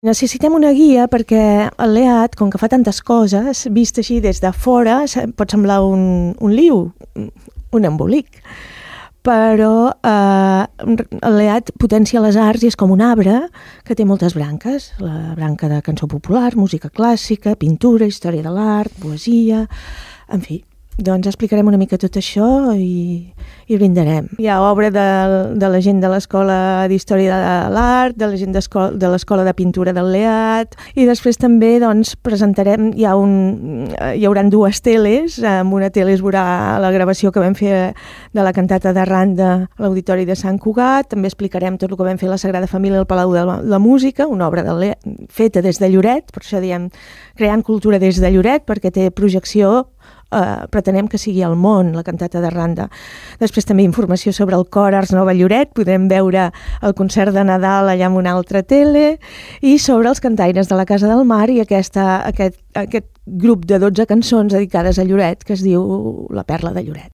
Necessitem una guia perquè el LEAD, com que fa tantes coses, vist així des de fora, pot semblar un liu, un embolic. Però el LEAD potencia les arts i és com un arbre que té moltes branques. La branca de cançó popular, música clàssica, pintura, història de l'art, poesia, en fi. Doncs explicarem una mica tot això i brindarem. Hi ha obra de la gent de l'Escola d'Història de l'Art, de la gent de l'Escola de Pintura del LEAD, i després també doncs, presentarem, hi haurà dues teles. En una tele es veurà la gravació que vam fer de la cantata de Randa a l'Auditori de Sant Cugat. També explicarem tot el que vam fer a la Sagrada Família al Palau de la Música, una obra feta des de Lloret, per això diem creant cultura des de Lloret, perquè té projecció. Pretenem que sigui al món, la cantata de Randa. Després també informació sobre el cor Ars Nova Lloret, podrem veure el concert de Nadal allà amb una altra tele, i sobre els cantaires de la Casa del Mar i aquest grup de 12 cançons dedicades a Lloret que es diu La Perla de Lloret.